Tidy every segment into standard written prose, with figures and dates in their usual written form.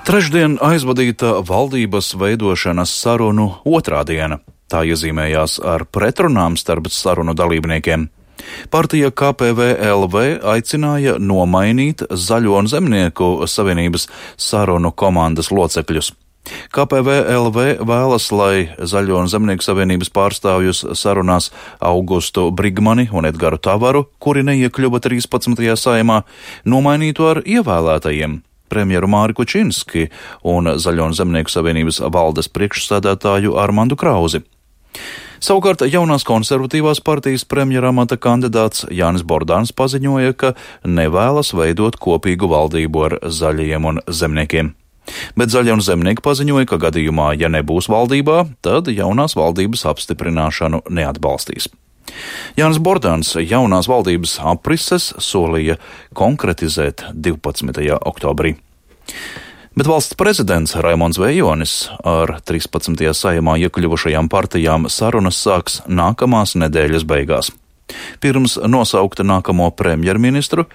Trešdien aizvadīta valdības veidošanas sarunu otrā diena. Tā iezīmējās ar pretrunām starp sarunu dalībniekiem. Partija KPVLV aicināja nomainīt Zaļo un Zemnieku savienības sarunu komandas locekļus. KPVLV vēlas, lai Zaļo un Zemnieku savienības pārstāvjus sarunās Augustu Brigmani un Edgaru Tavaru, kuri neiekļuva 13. saimā, nomainītu ar ievēlētajiem premjeru Māri Kučinski un Zaļo un Zemnieku savienības valdes priekšsēdētāju Armandu Krauzi. Savukārt jaunās konservatīvās partijas premjera amata kandidāts Jānis Bordāns paziņoja, ka nevēlas veidot kopīgu valdību ar Zaļajiem un Zemniekiem. Bet Zaļie un Zemnieki paziņoja, ka gadījumā, ja nebūs valdībā, tad jaunās valdības apstiprināšanu neatbalstīs. Jānis Bordāns jaunās valdības aprises solīja konkretizēt 12. oktobrī. Bet valsts prezidents Raimonds Vejonis ar 13. saimā iekļuvušajām partijām sarunas sāks nākamās nedēļas beigās. Pirms nosaukt nākamo premjerministru,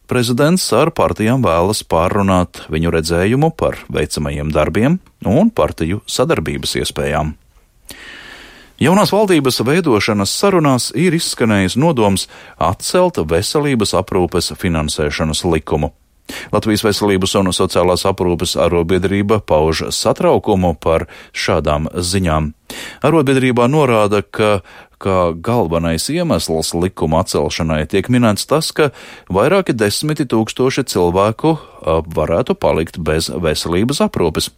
prezidents ar partijām vēlas pārrunāt viņu redzējumu par veicamajiem darbiem un partiju sadarbības iespējām. Jaunās valdības veidošanas sarunās ir izskanējis nodoms atcelt veselības aprūpes finansēšanas likumu. Latvijas veselības un sociālās aprūpes arotbiedrība pauž satraukumu par šādām ziņām. Arotbiedrībā norāda, ka galvenais iemesls likuma atcelšanai tiek minēts tas, ka vairāki 10 000 cilvēku varētu palikt bez veselības aprūpes.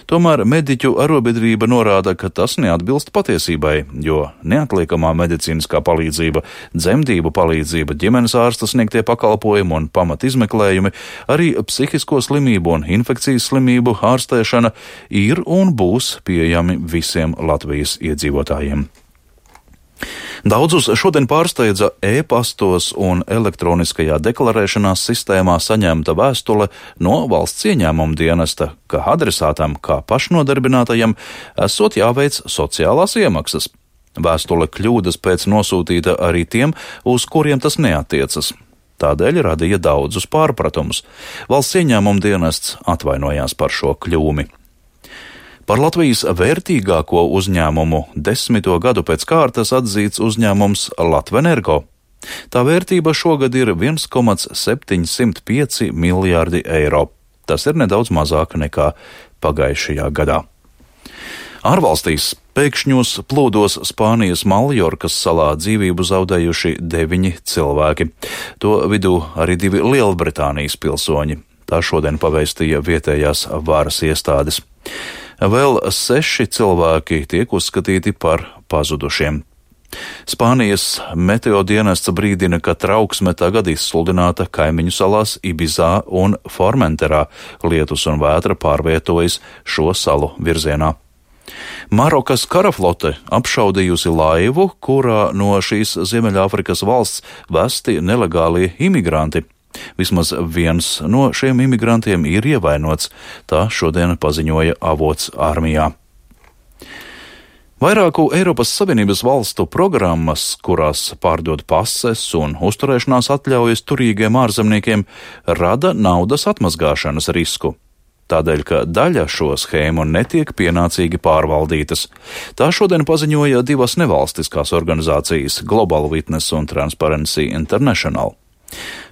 Tomēr mediķu arotbiedrība norāda, ka tas neatbilst patiesībai, jo neatliekamā medicīniskā palīdzība, dzemdību palīdzība, ģimenes ārsta sniegtie pakalpojumi un pamatizmeklējumi, arī psihisko slimību un infekcijas slimību ārstēšana ir un būs pieejami visiem Latvijas iedzīvotājiem. Daudzus šodien pārsteidza e-pastos un elektroniskajā deklarēšanās sistēmā saņemta vēstule no valsts ieņēmuma dienesta, ka adresātam kā pašnodarbinātajam esot jāveic sociālās iemaksas. Vēstule kļūdas pēc nosūtīta arī tiem, uz kuriem tas neatiecas. Tādēļ radīja daudzus pārpratumus. Valsts ieņēmuma dienests atvainojās par šo kļūmi. Par Latvijas vērtīgāko uzņēmumu 10. gadu pēc kārtas atzīts uzņēmums Latvenergo. Tā vērtība šogad ir 1,705 miljārdi eiro. Tas ir nedaudz mazāk nekā pagājušajā gadā. Ārvalstīs pēkšņos plūdos Spānijas Maljorkas salā dzīvību zaudējuši 9 cilvēki. To vidū arī 2 Lielbritānijas pilsoņi. Tā šodien pavēstīja vietējās varas iestādes. Vēl 6 cilvēki tiek uzskatīti par pazudušiem. Spānijas meteodienests brīdina, ka trauksme tagad izsludināta kaimiņu salās Ibizā un Formenterā. Lietus un vētra pārvietojas šo salu virzienā. Marokas karaflote apšaudījusi laivu, kurā no šīs Ziemeļāfrikas valsts vesti nelegālie imigranti. Vismaz viens no šiem imigrantiem ir ievainots, tā šodien paziņoja avots armijā. Vairāku Eiropas Savienības valstu programmas, kurās pārdod pases un uzturēšanās atļaujas turīgiem ārzemniekiem, rada naudas atmazgāšanas risku. Tādēļ, ka daļa šo schēmu netiek pienācīgi pārvaldītas. Tā šodien paziņoja 2 nevalstiskās organizācijas – Global Witness un Transparency International.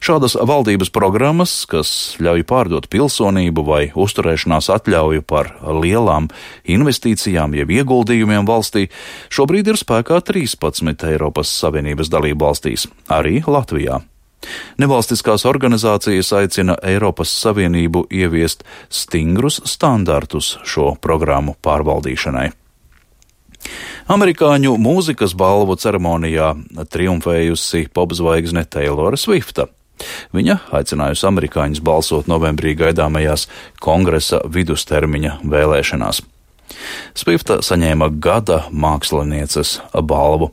Šādas valdības programmas, kas ļauj pārdot pilsonību vai uzturēšanās atļauju par lielām investīcijām jeb ieguldījumiem valstī, šobrīd ir spēkā 13 Eiropas Savienības dalību valstīs, arī Latvijā. Nevalstiskās organizācijas aicina Eiropas Savienību ieviest stingrus standartus šo programmu pārvaldīšanai. Amerikāņu mūzikas balvu ceremonijā triumfējusi popzvaigzne Taylora Swifta. Viņa aicinājusi amerikāņus balsot novembrī gaidāmajās kongresa vidustermiņa vēlēšanās. Swifta saņēma gada mākslinieces balvu.